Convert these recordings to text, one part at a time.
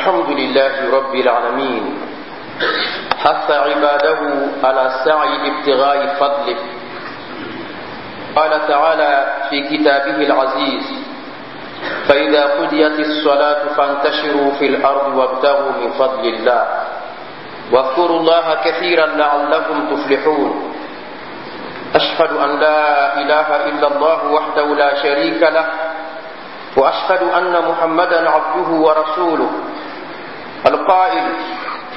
الحمد لله رب العالمين، حث عباده على سعي لابتغاء فضله. قال تعالى في كتابه العزيز: فإذا قضيت الصلاة فانتشروا في الأرض وابتغوا من فضل الله واذكروا الله كثيرا لعلكم تفلحون. أشهد أن لا إله إلا الله وحده لا شريك له، وأشهد أن محمدا عبده ورسوله القائل: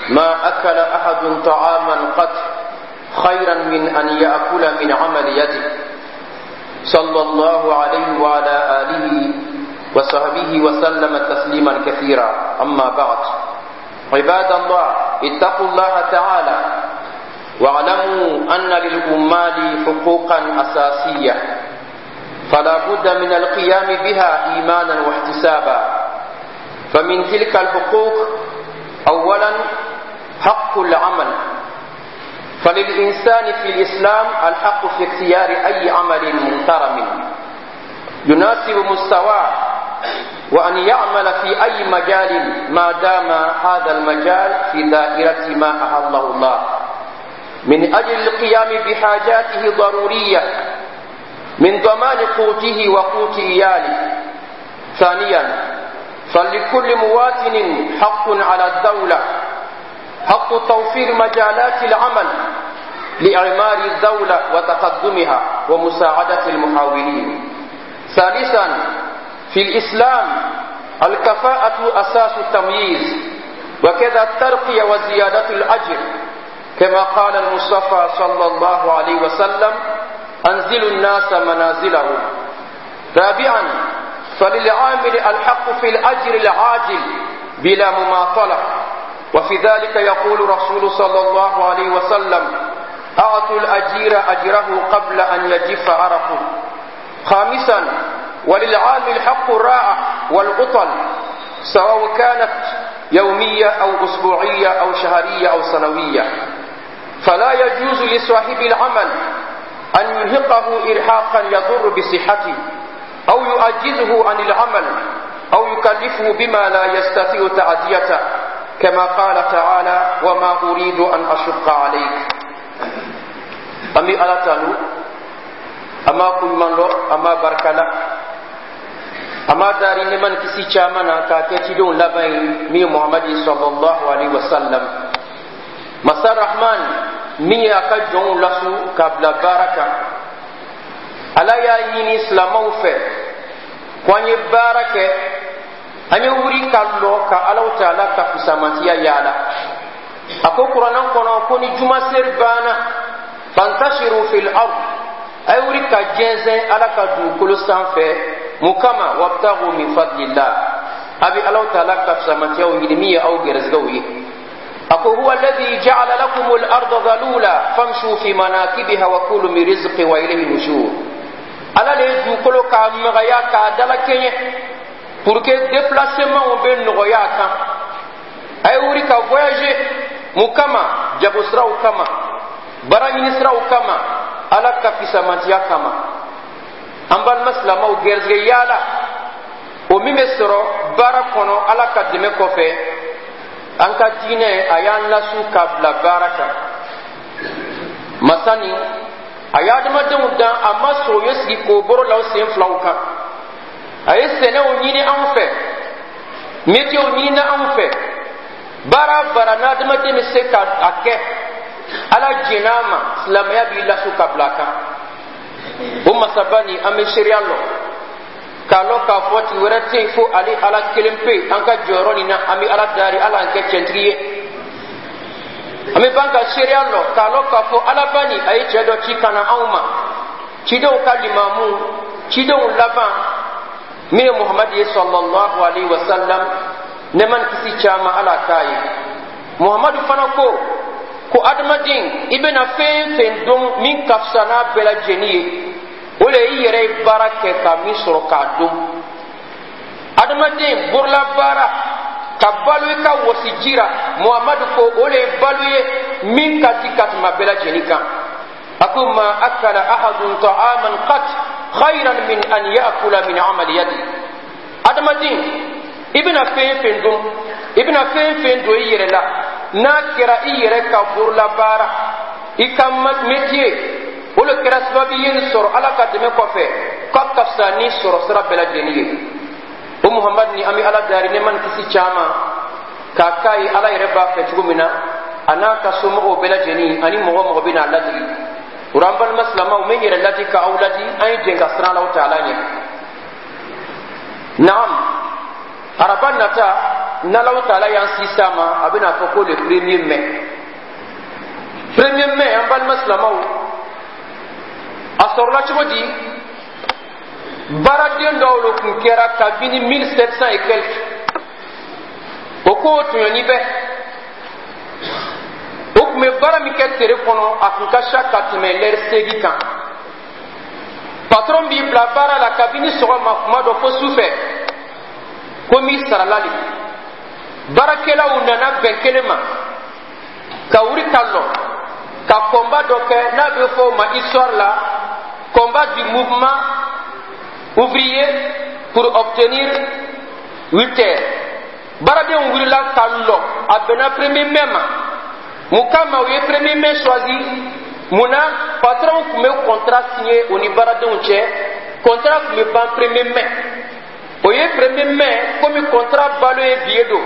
ما أكل أحد طعاما قط خيرا من أن يأكل من عمل يده. صلى الله عليه وعلى آله وصحبه وسلم تسليما كثيرا. أما بعد، عباد الله، اتقوا الله تعالى واعلموا أن للأمال حقوقا أساسية فلا بد من القيام بها إيمانا واحتسابا. فمن تلك الحقوق أولا حق العمل. فللإنسان في الإسلام الحق في اختيار أي عمل محترم يناسب مستواه، وأن يعمل في أي مجال ما دام هذا المجال في دائرة ما أحله الله، من أجل القيام بحاجاته الضرورية من ضمان قوته وقوت إياله. ثانيا، فلكل مواطن حق على الدولة، حق توفير مجالات العمل لإعمار الدولة وتقدمها ومساعدة المحاولين. ثالثا، في الإسلام الكفاءة أساس التمييز، وكذا الترقية وزيادة الأجر، كما قال المصطفى صلى الله عليه وسلم: أنزلوا الناس منازلهم. رابعا، فللعامل الحق في الأجر العاجل بلا مماطلة، وفي ذلك يقول رسول صلى الله عليه وسلم: أعطوا الأجير أجره قبل أن يجف عرقه. خامسا، وللعامل حق الراحة والعطل، سواء كانت يومية أو أسبوعية أو شهرية أو سنوية، فلا يجوز لصاحب العمل أن يرهقه إرهاقا يضر بصحته، أو يعجزه عن العمل، أو يكلفه بما لا يستطيع تأديته، كما قال تعالى: وما أريد أن أشق عليك. An bɛ Ala tanu, an b'a koɲuman lɔn, an b'a barikala, an b'a dari nɛɛma ni kisi caman na k'a kɛ cidenw laban ye, min ye Muhamadi sallallahu alaihi wa sallam. Masa Rahman min ye a ka jɔnw lasu k'a bila baara kan, Ala y'a ɲini silamɛw fɛ ko an ye baara kɛ, an ye wuri ka lɔ ka Alaw Taala ka fisamantiya yaala. A ko Kuranɛ kɔnɔ ko ni jumaseri banna, fantashiru fil ard, a ye wuri ka jɛnsɛn Ala ka dugukolo sanfɛ. Mun kama? Wabtagu min fadlillah, a bɛ Alaw Taala ka fisamantiyaw ɲini, min ye aw gɛrɛsɛgɛw ye. A ko: huwa alladhi ja'ala lakum al-arda dhalula famshu fi manakibiha wa kulu min rizqi wa ilayhi nushur. Ala le ye dugukolo k'a magaya, k'a dalakɛɲɛ, pour que déplacement bɛ nɔgɔya a kan. A ye wuri ka voyager. Mun kama? Jago siraw kama, baara ɲini siraw kama, Ala ka fisamantiya kama. An balima silamɛw, gɛrɛsɛgɛ yaala o min bɛ sɔrɔ baara kɔnɔ, Ala ka dɛmɛ kɔfɛ, an ka diinɛ a y'an lasu k'a bila baara kan. Masani a ye adamadenw dan, a ma sɔn u ye sigi k'o boro la u sen filaw kan. A ye sɛnɛw ɲini anw fɛ, métierw ɲinina anw fɛ, baara baara n'adamaden bɛ se ka a kɛ, Ala jɛn'a ma, silamɛya b'i lasu ka bila a kan. O masaba nin, an bɛ seereya lɔ k'a lɔn k'a fɔ tigi wɛrɛ tɛ yen fo ale Ala kelen pe. An ka jɔyɔrɔ nin na, an bɛ Ala dari, Ala an kɛ cɛntigi ye. An bɛ ban ka seereya lɔ k'a lɔn k'a fɔ Alaba nin a ye cɛ dɔ ci ka na anw ma, cidenw ka limamu, cidenw laban, min ye Muhamadi ye sallallahu alaihi wa sallam, nɛɛma ni kisi caman Ala k'a ye. Muhamadu fana ko ko adamaden, i bɛna fɛn fɛn dɔn min ka fisa n'a bɛɛ lajɛlen ye, o le i yɛrɛ ye baara kɛ ka min sɔrɔ k'a dun. Adamaden borola baara ka balo i ka wɔsiji ra, Muhamadu ko o le ye balo ye min ka di ka tɛmɛ bɛɛ lajɛlen kan. A ko: ma akala ahadun ta'aman qat khayran min an ya'kula min amali yadi. Adamaden, i bɛna fɛn fɛn dun I bɛna fɛn fɛn don i yɛrɛ la, n'a kɛra i yɛrɛ ka bololabaara, i ka métier, o le kɛra sababu ye nin sɔrɔ Ala ka dɛmɛ kɔfɛ, k'a ka fisa ni sɔrɔ sira bɛɛ lajɛlen ye. O Muhamadu ni, an bɛ Ala dari nɛɛma ni kisi caman k'a k'a ye Ala yɛrɛ b'a fɛ cogo min na, a n'a ka somɔgɔw bɛɛ lajɛlen ani mɔgɔ mɔgɔ bɛ n'a ladigi. O la, an balima silamɛw, n bɛ n yɛrɛ ladi ka aw ladi, an ye jɛn ka siran Alahu Taala ɲɛ. Naam, araba nata, n'Alahu Taala y'an si s'a ma, a bɛna fɔ ko le 1er mai. 1er mai, an balima silamɛw, a sɔrɔla cogo di? Baaraden dɔw le tun kɛra kabini 1700 et quelque. O ko tɔɲɔni bɛ o tun bɛ baara min kɛ tere kɔnɔ, a tun ka ca ka tɛmɛ lɛri 8 kan. Patron b'i bila baara la kabini sɔgɔma, kuma dɔ fo su fɛ, ko m'i sarala le. Baarakɛlaw nana bɛn kelen ma ka wuli ka lɔ ka combat dɔ kɛ, n'a bɛ fɔ o ma histoire la combat du mouvement ouvrier pour obtenir 8 heures. Baaradenw wulila ka lɔ, a bɛnna 1er mai ma. Mun kama u ye 1er mai choisi? Mun na? Patron tun bɛ contrat signé o ni baaradenw cɛ, contrat tun bɛ ban 1er mai. O ye 1er mai komi contrat balo ye bi ye don,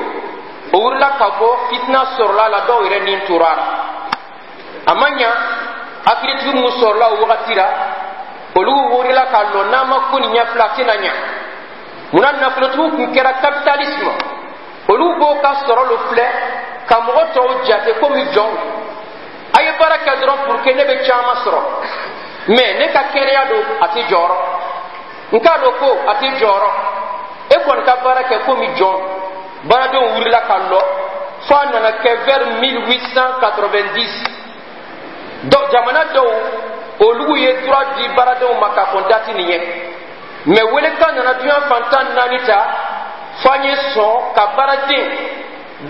o wulila ka bɔ, fitina sɔrɔla la, dɔw yɛrɛ ni tora a la. A ma ɲa, hakilitigi mun sɔrɔla o wagati la, olu wulila ka lɔ, n'an ma ko nin ɲɛfila, a tɛna ɲa. Munna? Nafolotigiw tun kɛra capitalisme, olu b'o ka sɔrɔ lo filɛ ka mɔgɔ tɔw jate komi jɔnw. A ye baara kɛ dɔrɔn pour que ne bɛ caman sɔrɔ, mais ne ka kɛnɛya don, a tɛ jɔyɔrɔ n k'a dɔn ko a tɛ jɔyɔrɔ. E kɔni ka baara kɛ komi jɔn. Baaradenw wulila ka lɔ fo a nana kɛ vers 1890, jamana dɔw olu ye droit di baaradenw ma ka kɔn date nin ɲɛ. Mais welekan nana duɲa fan 14 ta fo an ye sɔn ka baaraden,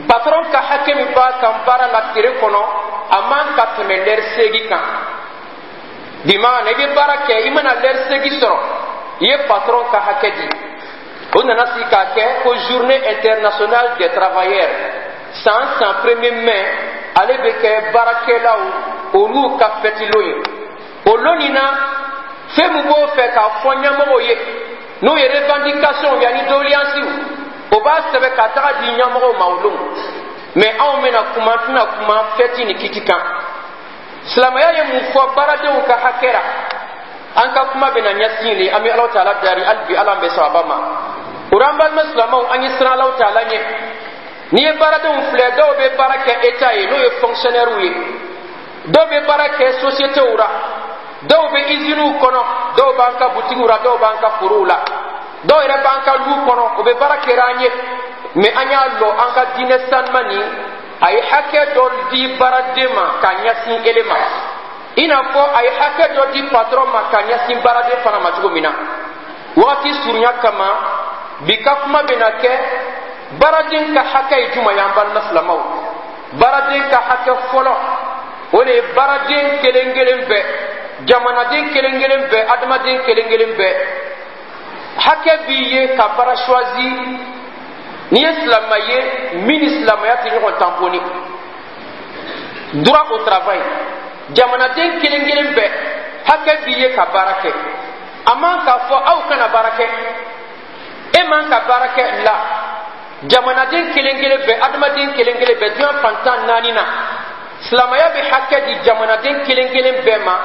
patron ka hakɛ min b'a kan baara la tere kɔnɔ, a man ka tɛmɛ lɛri 8 kan. Bimaana, i bɛ baara kɛ, i mana lɛri 8 sɔrɔ, i ye patron ka hakɛ di. O nana sigi k'a kɛ ko Journée internationale des travailleurs. San san 1er mai, ale bɛ kɛ baarakɛlaw olu ka fɛtilon ye. O lon nin na, fɛn min b'o fɛ k'a fɔ ɲɛmɔgɔw ye, n'o ye revendication yanni doléance, o b'a sɛbɛn ka taga di ɲɛmɔgɔw ma o don. Mais anw bɛna kuma, tɛna kuma fɛti ni kiti kan. Silamɛya ye mun fɔ baaradenw ka hakɛ la? An ka kuma bɛna ɲɛsin de. An bɛ Alahu Taala dari hali bi, Ala bɛ sababa ma. O la, an balima silamɛw, an ye siran Alahu Taala ɲɛ. N'i ye baaradenw filɛ, dɔw bɛ baara kɛ État ye, n'o ye fonctionnaire ye, dɔw bɛ baara kɛ sociétéw la, dɔw bɛ usines kɔnɔ, dɔw b'an ka butigiw la, dɔw b'an ka forow la, dɔw yɛrɛ b'an ka lu kɔnɔ, o bɛ baara kɛra an ye. Mais an y'a lɔ, an ka diinɛ sanuma nin, a ye hakɛ dɔ di baaraden ma ka ɲɛsin ele ma, i n'a fɔ a ye hakɛ dɔ di patron ma ka ɲɛsin baaraden fana ma cogo min na. Wagati surunya kama, bi ka kuma bɛna kɛ baaraden ka hakɛ ye jumɛn ye. An balima silamɛw, baaraden ka hakɛ fɔlɔ, o de ye baaraden kelen kelen bɛɛ, jamanaden kelen kelen bɛɛ, adamaden kelen kelen bɛɛ, hakɛ b'i ye ka baara choisi. N'i ye silamɛ ye min ni silamɛya tɛ ɲɔgɔn tamponi, droit au travail, jamanaden kelen kelen bɛɛ, hakɛ b'i ye ka baara kɛ. A man k'a fɔ aw kana baara kɛ, e man ka baara kɛ la. Jamanaden kelen kelen bɛɛ, adamaden kelen kelen bɛɛ, diɲɛ fan 14 na, silamɛya bɛ hakɛ di jamanaden kelen kelen bɛɛ ma,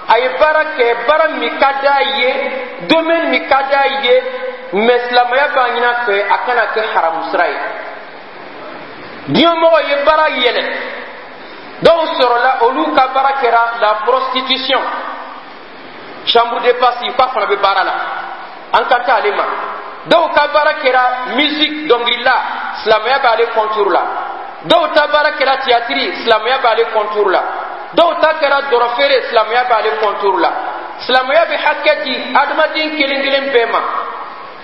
a ye baara kɛ baara min ka d'a ye, domaine min ka d'a ye. Mais silamɛya b'a ɲini a fɛ, a kana kɛ haramu sira ye. Diɲɛmɔgɔ ye baara yɛlɛ, dɔw sɔrɔla, olu ka baara kɛra la prostitution, chambre de passe, k'a fana bɛ baara la, an kan tɛ ale ma. Dɔw ka baara kɛra musique, dɔnkilila, silamɛya b'ale contour la. Dɔw ta baara kɛra théâtre, silamɛya b'ale contour la. Dɔw ta kɛra dɔrɔfeere, silamɛya b'ale contour la. Silamɛya bɛ hakɛ di adamaden kelen kelen bɛɛ ma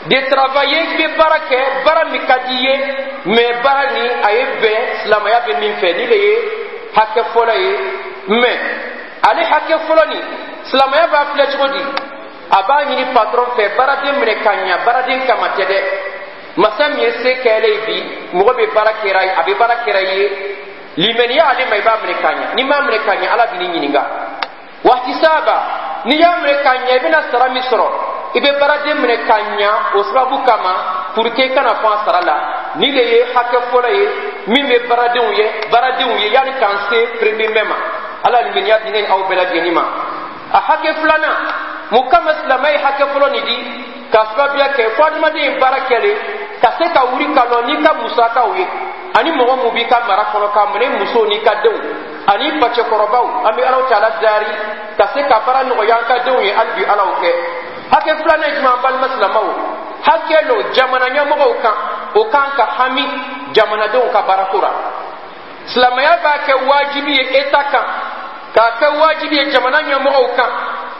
de travailler. I bɛ baara kɛ baara min ka di i ye, mais baara ni a ye bɛn silamɛya bɛ min fɛ, ni de ye hakɛ fɔlɔ ye. Mais ale hakɛ fɔlɔ nin, silamɛya b'a filɛ cogo di? A b'a ɲini patron fɛ, baaraden minɛ ka ɲa, baaraden kama tɛ dɛ. Masa min ye se kɛlɛ ye, bi mɔgɔ bɛ baara kɛra ye, a bɛ baara kɛra i ye, limaniya ale ma, i b'a minɛ ka ɲɛ. N'i m'a minɛ ka ɲɛ, Ala b'i ɲininka. Wahtisaba, n'i y'a minɛ ka ɲɛ, i bɛna sara min sɔrɔ. I bɛ baaraden minɛ ka ɲɛ o sababu kama, pour que i kana fɔ a sara la. Ni de ye hakɛ fɔlɔ ye min bɛ baaradenw ye yanni k'an se premier ma. Ala limaniya di ne aw bɛɛ lajɛlen ma. A hakɛ filanan, mun kama silamɛ ye hakɛ fɔlɔ nin di? Ka sababuya kɛ fo adamaden ye baara kɛlen ka se ka wuli ka lɔ n'i ka musakaw ye, ani mɔgɔ mun b'i ka mara kɔnɔ, k'a minɛ musow n'i ka denw ani facɛkɔrɔbaw. An bɛ Alaw Taala dari ka se ka baara nɔgɔya an ka denw ye. Hali bi, Alaw kɛ. Hakɛ filanan ye jumɛn, an balima silamɛw? Hakɛ lo jamana ɲɛmɔgɔw kan, o kan ka hami jamanadenw ka baarako la. Silamɛya b'a kɛ wajibi ye État kan, k'a kɛ wajibi ye jamana ɲɛmɔgɔw kan,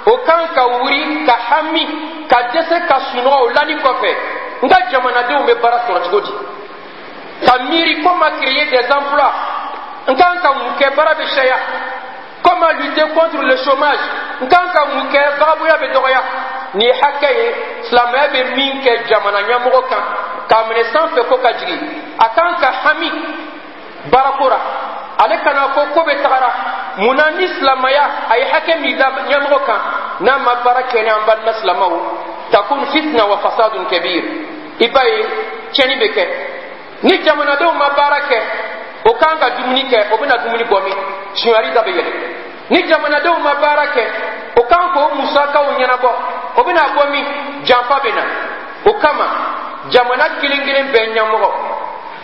o kan ka wuri ka hami ka dɛsɛ ka sunɔgɔ o lani kɔfɛ, n ka jamanadenw bɛ baara sɔrɔ cogo di? Ka miiri comment créer des emplois, n kan ka mun kɛ baara bɛ caya? Comment lutter contre le chômage, n kan ka mun kɛ vagabondya bɛ dɔgɔya? Nin ye hakɛ ye silamɛya bɛ min kɛ jamana ɲɛmɔgɔ kan, k'a minɛ sanfɛ ko ka jigin. A kan ka hami baarako la, ale kana fɔ ko bɛ tagara mun na. Ni silamɛya a ye hakɛ min da ɲɛmɔgɔ kan, n'a ma baara kɛ ni an balima silamɛw, takun fitna wa fasadun kabir. I b'a ye tiɲɛni bɛ kɛ ni jamanadenw ma baara kɛ. O kan ka dumuni kɛ, o bɛna dumuni bɔ min? Sunyali da bɛ yɛlɛ. Ni jamanadenw ma baara kɛ, o kan k'o musakaw ɲɛnabɔ, o bɛna bɔ min? Janfa bɛ na. O kama jamana kelen kelen bɛɛ ɲɛmɔgɔ,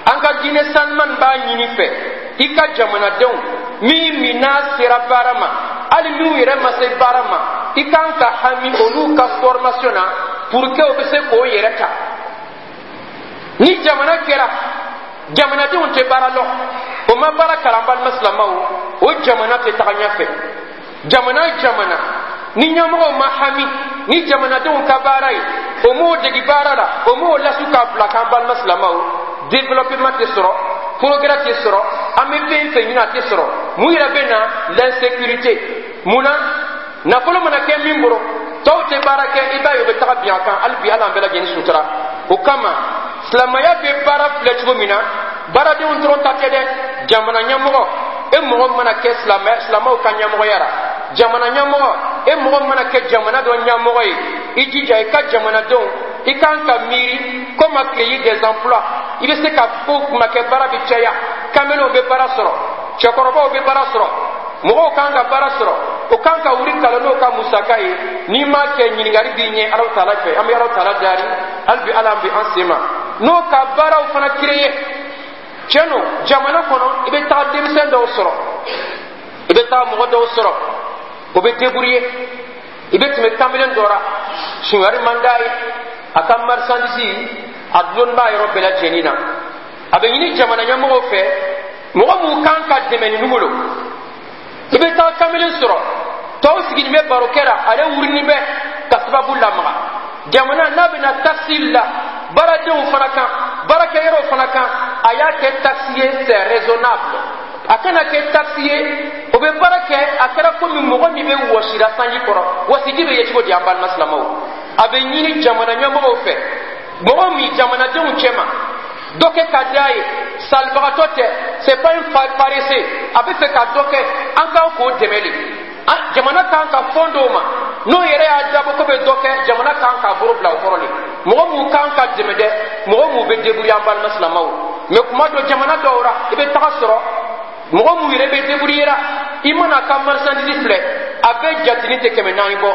an ka diinɛ sanuman b'a ɲini fɛ, i ka jamanadenw min n'a sera baara ma, hali minnu yɛrɛ ma se baara ma, i kan ka hami olu ka formation na pour que o bɛ se k'o yɛrɛ ta. Ni jamana kɛra jamanadenw tɛ baara lɔ, o ma baara kalan, balima silamɛw, o jamana tɛ taga ɲɛfɛ. Jamana jamana ni ɲɛmɔgɔw ma hami ni jamanadenw ka baara ye, o m'o degi baara la, o m'o lasu k'a bila k'an balima silamɛw, développement tɛ sɔrɔ, progrès tɛ sɔrɔ, an bɛ fɛn fɛn ɲini, a tɛ sɔrɔ. Mun yɛrɛ bɛ na? L'insécurité. Mun na? Nafolo mana kɛ min bolo, tɔw tɛ baara kɛ, i b'a ye o bɛ taga bin a kan. Hali bi, Ala an bɛɛ lajɛlen sutura. O kama silamɛya bɛ baara filɛ cogo min na, baaradenw dɔrɔn ta tɛ dɛ. Jamana ɲɛmɔgɔ, e mɔgɔ mana kɛ silamɛ, silamɛw ka ɲɛmɔgɔya la, jamana ɲɛmɔgɔ, e mɔgɔ mana kɛ jamana dɔ ɲɛmɔgɔ ye, i jija i ka jamanadenw, i kan ka miiri comment créer des emplois. I bɛ se ka ko kuma kɛ baara bɛ caya, kamelenw bɛ baara sɔrɔ, cɛkɔrɔbaw bɛ baara sɔrɔ, mɔgɔw kan ka baara sɔrɔ, o kan ka wuli kalan n'o ka musaka ye. N'i m'a kɛ, ɲininkali b'i ɲɛ Alaw Taala fɛ. An bɛ Alaw Taala dari hali bi, Ala bɛ an sen ma n'o ka baaraw fana créer. Tiɲɛ don, jamana kɔnɔ, i bɛ taga denmisɛn dɔw sɔrɔ, i bɛ taa mɔgɔ dɔw sɔrɔ, o bɛ débrouiller. I bɛ tɛmɛ kamalen dɔ la, sunyali man d'a ye, a ka marchandise a dulonni b'a yɔrɔ bɛɛ lajɛlen na. A bɛ ɲini jamana ɲɛmɔgɔw fɛ, mɔgɔ mun kan ka dɛmɛ ninnu bolo. I bɛ taa kamalen sɔrɔ, tɔw sigilen bɛ barokɛ la, ale wurini bɛ ka sababu lamaga. Jamana n'a bɛna taxe la baaradenw fana kan, baarakɛyɔrɔw fana kan, a y'a kɛ taxe ye, c'est raisonnable. A kana kɛ taxe ye o bɛ baara kɛ, a kɛra komi mɔgɔ min bɛ wɔsira sanji kɔrɔ, wɔsiji bɛ ye cogo di? An balima silamɛw, a bɛ ɲini jamana ɲɛmɔgɔw fɛ, mɔgɔ min jamanadenw cɛma dɔ kɛ ka d'a ye, salibagatɔ tɛ, c'est pas un paresseux, a bɛ fɛ ka dɔ kɛ, an kan k'o dɛmɛ de. Jamana kan ka fɔn dɔw ma, n'o yɛrɛ y'a dabɔ ko bɛ dɔ kɛ, jamana kan k'a bolo bila o kɔrɔ de. Mɔgɔ mun kan ka dɛmɛ dɛ? Mɔgɔ mun bɛ débrouiller, an balima silamɛw. Mais kuma dɔ, jamana dɔw la, i bɛ taga sɔrɔ mɔgɔ mun yɛrɛ bɛ débrouiller la, i mana a ka marchandise filɛ, a bɛɛ jatini tɛ 400 bɔ.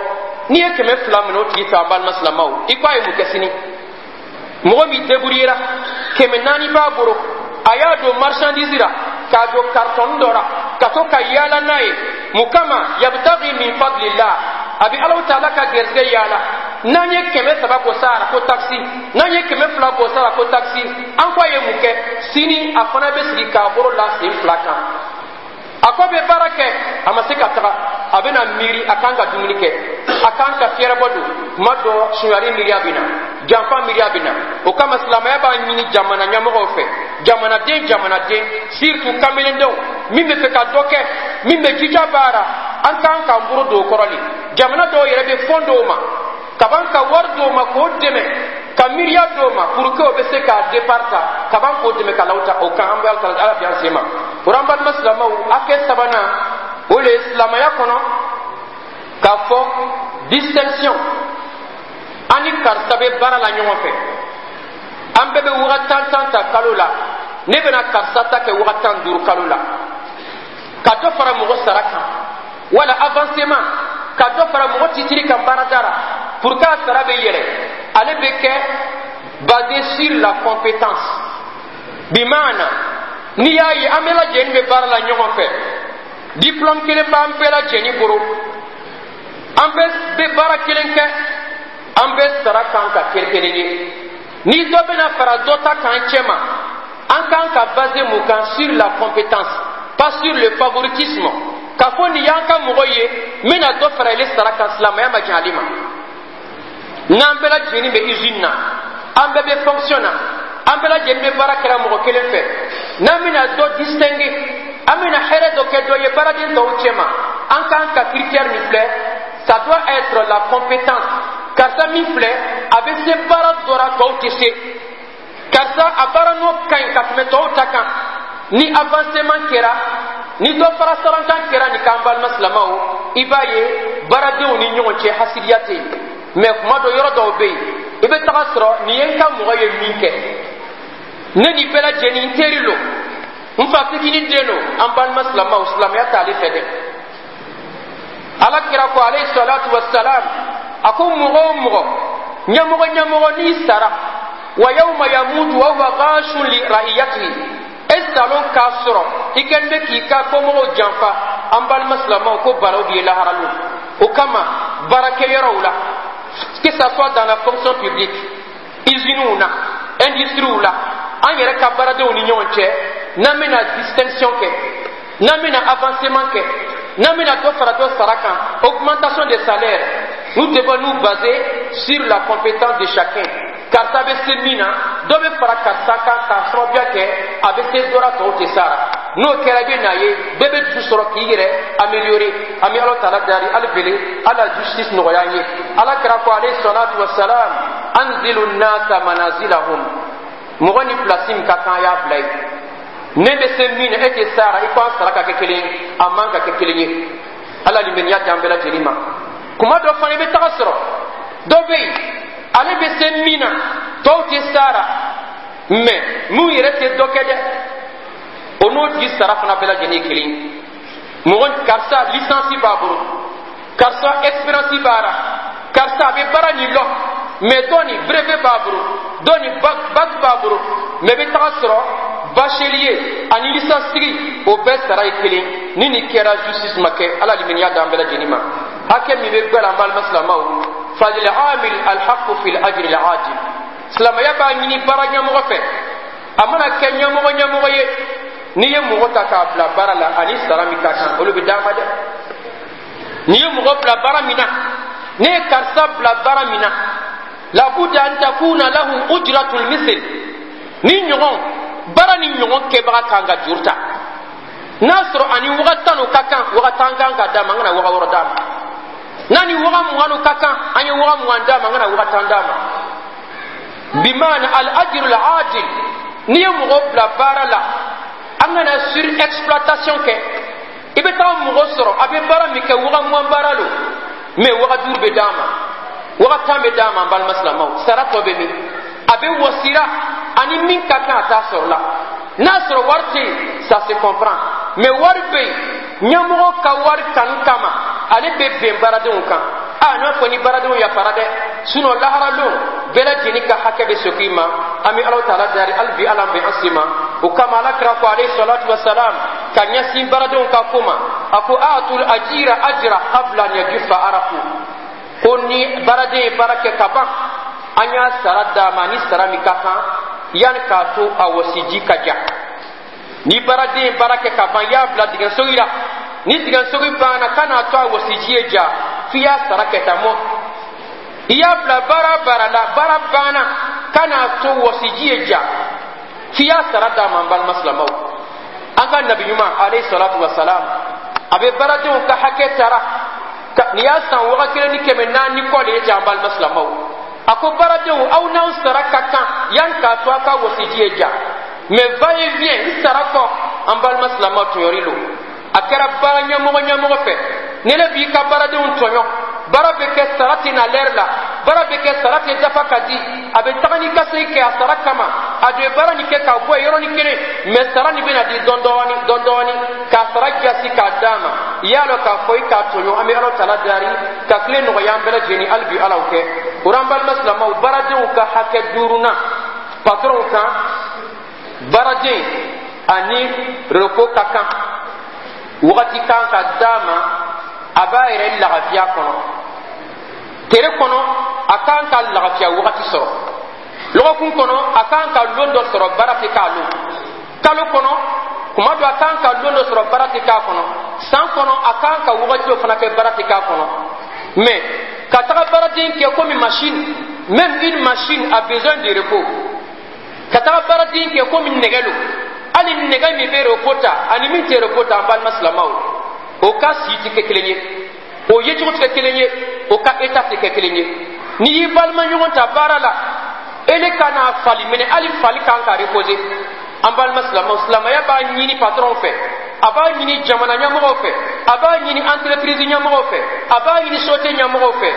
N'i ye 200 minɛ o tigi fɛ, an balima silamɛw, i ko a ye mun kɛ sini? Mɔgɔ min débrouillera, 400 b'a bolo, a y'a don marchandise la, k'a don carton dɔ la, ka to ka yaala n'a ye. Mun kama? Yabtagi min fadlillah, a bɛ Alaw Taala ka gɛrɛsɛgɛ yaala. N'an ye 300 bɔ sara ko taxe, n'an ye 200 bɔ sara ko taxe, an ko a ye mun kɛ sini? A fana bɛ sigi k'a bolo la sen fila kan. A ko bɛ baara kɛ, a ma se ka taga, a bɛna miiri a kan ka dumuni kɛ, a kan ka fiyɛrɛbɔ don. Kuma dɔ, sunyali miiriya bɛ na, janfa miiriya bɛ na. O kama silamɛya b'a ɲini jamana ɲɛmɔgɔw fɛ, jamanaden jamanaden, surtout kamelendenw min bɛ fɛ ka dɔ kɛ, min bɛ jija baara, an kan k'an bolo don o kɔrɔ de. Jamana dɔw yɛrɛ bɛ fɔn dɔw ma kaban ka wari dɔw ma k'o dɛmɛ ka miiri. Miiriya d'o ma pour que o bɛ se k'a départ ta kaban k'o dɛmɛ ka law ta o kan. An bɛ Ala bi an sen ma o la. An balima silamɛw, hakɛ sabanan, o le ye silamɛya kɔnɔ k'a fɔ distinction. An ni karisa bɛ baara la ɲɔgɔn fɛ, an bɛɛ bɛ waga tan tan ta kalo la. Ne bɛna karisa ta kɛ waga 15 kalo la, ka dɔ fara mɔgɔ sara kan, wala avancement, ka dɔ fara mɔgɔ titiri kan baarada la pour que a sara bɛ yɛlɛ. Ale bɛ kɛ basé sur la compétence. Bimaana, n'i y'a ye an bɛɛ lajɛlen bɛ baara la ɲɔgɔn fɛ, diplôme kelen b'an bɛɛ lajɛlen bolo, an bɛɛ bɛ baara kelen kɛ, an bɛɛ sara kan ka kɛ kelen ye. Ni dɔ bɛna fara dɔ ta kan cɛ ma, an kan ka basé mun kan? Sur la compétence, pas sur le favoritisme, k'a fɔ nin y'an ka mɔgɔ ye, n bɛna dɔ fara ile sara kan. Silamɛya ma jɛn ale ma. N'an bɛɛ lajɛlen bɛ usine na, an bɛɛ bɛ fonction na, an bɛɛ lajɛlen bɛ baara kɛra mɔgɔ kelen fɛ, n'an bɛna dɔ distinguer, an bɛna hɛrɛ dɔ kɛ dɔ ye baaraden tɔw cɛ ma, an kan ka critère min filɛ, ça doit être la compétence. Karisa min filɛ, a bɛ se baara dɔ la, tɔw tɛ se. Karisa a baara n'o ka ɲi ka tɛmɛ tɔw ta kan. Ni avancement kɛra, ni dɔ fara sarankan kɛra nin k'an balima silamɛw, i b'a ye baaradenw ni ɲɔgɔn cɛ hasidiya tɛ yen. Mɛ kuma dɔ, yɔrɔ dɔw bɛ yen, i bɛ taga sɔrɔ nin ye n ka mɔgɔ ye min kɛ, ne ni bɛɛ lajɛlen n teri lo, n fa fitinin den lo. An balima silamɛw, silamɛya t'ale fɛ dɛ. Ala kira ko, alayhi salatu wassalam, a ko mɔgɔ o mɔgɔ, ɲɛmɔgɔ ɲɛmɔgɔ, n'i sara, wa yawma yamutu wa huwa ghashun li ra'iyatihi, e salon k'a sɔrɔ i kɛlen bɛ k'i ka kɔmɔgɔw janfa, an balima silamɛw, ko baraw b'i ye laharalo. O kama, baarakɛyɔrɔw la, que ça soit dans la fonction publique, usines na, industries la, an yɛrɛ ka baaradenw ni ɲɔgɔn cɛ, n'an bɛna distinction kɛ, n'an bɛna avancement kɛ, n'an bɛna dɔ fara dɔ sara kan, augmentation de salaire, nous devons nous baser sur la compétence de chacun. Karisa bɛ se min na, dɔ bɛ fara karisa kan k'a sababuya kɛ a bɛ se dɔ la, tɔw tɛ sara. N'o kɛra, i bɛ n'a ye bɛɛ bɛ dusu sɔrɔ k'i yɛrɛ améliorer. An bɛ Ala taala dari hali bele, Ala justice nɔgɔya an ye. Ala kira ko, alayhi salatu wa salam, anzilu nasa manazilahum. Mɔgɔ ni place min ka kan, a y'a bila yen. Ne bɛ se min na, e tɛ sara, i ko an sara ka kɛ kelen ye, a man ka kɛ kelen ye. Ala limaniya di an bɛɛ lajɛlen ma. Kuma dɔ fana, i bɛ taga sɔrɔ dɔ bɛ yen, ale bɛ se min na, tɔw tɛ sara, mɛ mun yɛrɛ tɛ dɔ kɛ dɛ, o n'o tigi sara fana bɛɛ lajɛlen ye kelen ye. Mɔgɔ karisa licence b'a bolo, karisa expérience b'a la, karisa a bɛ baara nin lɔn, mɛ dɔ nin brevet b'a bolo, dɔ nin bac b'a bolo, mɛ i bɛ taga sɔrɔ bachelier ani licence tigi, o bɛɛ sara ye kelen. Ni nin kɛra, justice ma kɛ. Ala limaniya d'an bɛɛ lajɛlen ma. Hakɛ min bɛ gbɛlɛ, an balima silamɛw, falil amil alhaqu fil ajri al ajil. Silamɛya b'a ɲini baara ɲɛmɔgɔ fɛ, a mana kɛ ɲɛmɔgɔ ɲɛmɔgɔ ye, n'i ye mɔgɔ ta k'a bila baara la, ani sara min ka kan, olu bɛ d'a ma dɛ. N'i ye mɔgɔ bila baara min na, ne ye karisa bila baara min na, labuda an takuna lahu ujratul misl. Ni ɲɔgɔn baara ni ɲɔgɔn kɛbaga kan ka juru ta, n'a sɔrɔ ani waga 10 o ka kan, waga 10 kan ka d'a ma, an kana waga 6 d'a ma. N'a ni waga 20 o ka kan, an ye waga 20 d'a ma, an kana waga 10 d'a ma. Bimaana al ajru al adil. N'i ye mɔgɔ bila baara la, an kana surexploitation kɛ. I bɛ taa mɔgɔ sɔrɔ, a bɛ baara min kɛ, waga 20 baara lo, mɛ waga 5 bɛ d'a ma, waga 10 bɛ d'a ma. An balima silamɛw, sara tɔ bɛ min? A bɛ wɔsira, ani min ka kan, a t'a sɔrɔ la. N'a sɔrɔ wari tɛ yen, ça se comprend, mais wari bɛ yen, ɲɛmɔgɔ ka wari kanu kama, ale bɛ bɛn baaradenw kan. A n'a fɔ ni baaradenw yafara dɛ, sinon lahara lon, bɛɛ lajɛlen ka hakɛ bɛ segin i ma. An bɛ Ala taala dari hali bi, Ala bɛ an sen ma. O kama, Ala kira ko, alayhi salatu wa salam, ka ɲɛsin baaradenw ka ko ma, a ko atul ajira ajra qabla an yajufa araku. Ko ni baaraden ye baara kɛ ka ban, an y'a sara d'a ma ni sara min ka kan, yanni k'a to a wɔsiji ka ja. Ni baaraden ye baara kɛ ka ban, i y'a bila dingɛsogi la, ni dingɛsogi banna, kan'a to a wɔsiji ye ja f'i y'a sara kɛ tan mɔ. I y'a bila baara baara la, baara banna, kan'a to wɔsiji ye ja f'i y'a sara d'a ma. An balima silamɛw, an ka nabi ɲuman, alayhi salatu wa salam, a bɛ baaradenw ka hakɛ tara. Nin y'a san 1400 kɔ de ye ten. An balima silamɛw. A ko baaradenw, aw n'aw sara ka kan yan k'a to a ka wɔsiji ye ja, mais va et vient n sara kɔ. An balima silamɛw, tɔɲɔri lo. A kɛra baara ɲɛmɔgɔ ɲɛmɔgɔ fɛ, ni ne b'i ka baaradenw tɔɲɔ, baara bɛ kɛ, sara tɛ na lɛri la, baara bɛ kɛ, sara tɛ dafa ka di, a bɛ taga ni ka segin kɛ a sara kama, a bɛ baara nin kɛ k'a bɔ yen yɔrɔnin kelen, mais sara nin bɛna di dɔɔni dɔɔni dɔɔni dɔɔni k'a sara jasi k'a d'a ma, i y'a dɔn k'a fɔ i k'a tɔɲɔ. An bɛ Ala tala dari ka tile nɔgɔya an bɛɛ lajɛlen, hali bi Ala kɛ o la. An balima silamɛw, baaradenw ka hakɛ duurunan patronw kan: baaraden ani repos ka kan, wagati kan ka d'a ma a b'a yɛrɛ lagafiya kɔnɔ. Tere kɔnɔ, a kan ka lagafiya wagati sɔrɔ. Lɔgɔkun kɔnɔ, a kan ka lon dɔ sɔrɔ baara tɛ k'a lon. Kalo kɔnɔ, kuma dɔ, a kan ka lon dɔ sɔrɔ baara tɛ k'a kɔnɔ. San kɔnɔ, a kan ka wagati dɔ fana kɛ baara tɛ k'a kɔnɔ. Mais ka taga baaraden kɛ komi machine, même une machine a besoin de repos. Ka taga baaraden kɛ komi nɛgɛ lo, hali nɛgɛ min bɛ repos ta ani min tɛ repos ta, an balima silamɛw, o ka si tɛ kɛ kelen ye, o yecogo tɛ kɛ kelen ye, o ka état tɛ kɛ kelen ye. N'i y'i balima ɲɔgɔn ta baara la, ele ka n'a fali minɛ, hali fali kan ka reposer. An balima silamɛw, silamɛya b'a ɲini patron fɛ, a b'a ɲini jamana ɲɛmɔgɔw fɛ, a b'a ɲini entreprise ɲɛmɔgɔw fɛ, a b'a ɲini société ɲɛmɔgɔw fɛ,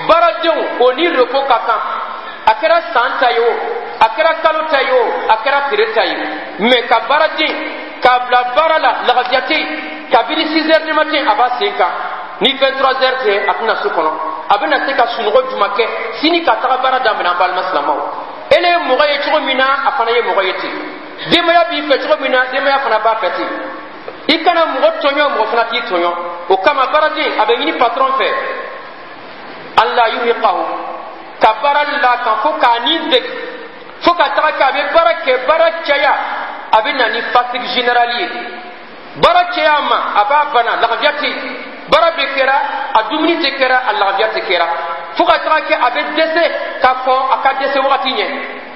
baaradenw, o ni repos ka kan. A kɛra san ta ye o, a kɛra kalo ta ye o, a kɛra tere ta ye, mais ka baaraden k'a bila baara la, lagafiya tɛ yen. Kabini 6 heures du matin a b'a sen kan, ni 23 heures tɛ a tɛna so kɔnɔ, a bɛna se ka sunɔgɔ juma kɛ sini ka taga baara daminɛ? An balima silamɛw, ele ye mɔgɔ ye cogo min na, a fana ye mɔgɔ ye ten. Denbaya b'i fɛ cogo min na, denbaya fana b'a fɛ ten. I kana mɔgɔ tɔɲɔ, mɔgɔ fana k'i tɔɲɔ. O kama, baaraden, a bɛ ɲini patron fɛ an la yurhiqahu, ka baara la kan fo k'a ni degi, fo ka taga kɛ a bɛ baara kɛ, baara caya, a bɛ na ni fatigue générale ye. Baara caya ma, a b'a bana, lagafiya tɛ yen, baara bɛ kɛra, a dumuni tɛ kɛra, a lagafiya tɛ kɛra, fo ka taga kɛ a bɛ dɛsɛ ka kɔn a ka dɛsɛ wagati ɲɛ.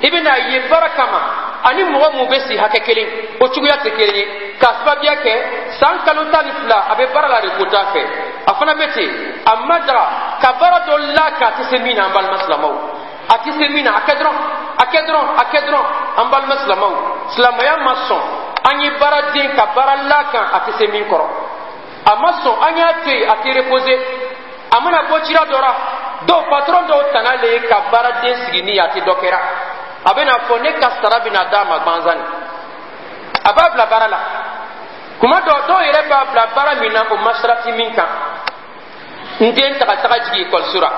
I bɛna ye baara kama, ani mɔgɔ mun bɛ si hakɛ kelen, o cogoya tɛ kelen ye, k'a sababuya kɛ san kalo 12 a bɛ baara la, repos t'a fɛ. A fana bɛ ten, a ma daga ka baara dɔ la k'a tɛ se min na. An balima silamɛw, a tɛ se min na, a kɛ dɔrɔn, a kɛ dɔrɔn, a kɛ dɔrɔn. An balima silamɛw, silamɛya ma sɔn an ye baaraden ka baara la kan a tɛ se min kɔrɔ. A ma sɔn an y'a to yen a tɛ reposer. A mana bɔ cira dɔ la, dɔw patron dɔw tana le ye ka baaraden sigi ni a tɛ dɔ kɛra, a bɛna fɔ ne ka sara bɛna d'a ma gansan, a b'a bila baara la. Kuma dɔ, dɔw yɛrɛ b'a bila baara min na, o ma sarati min kan. N den taga taga jigin ekɔliso la,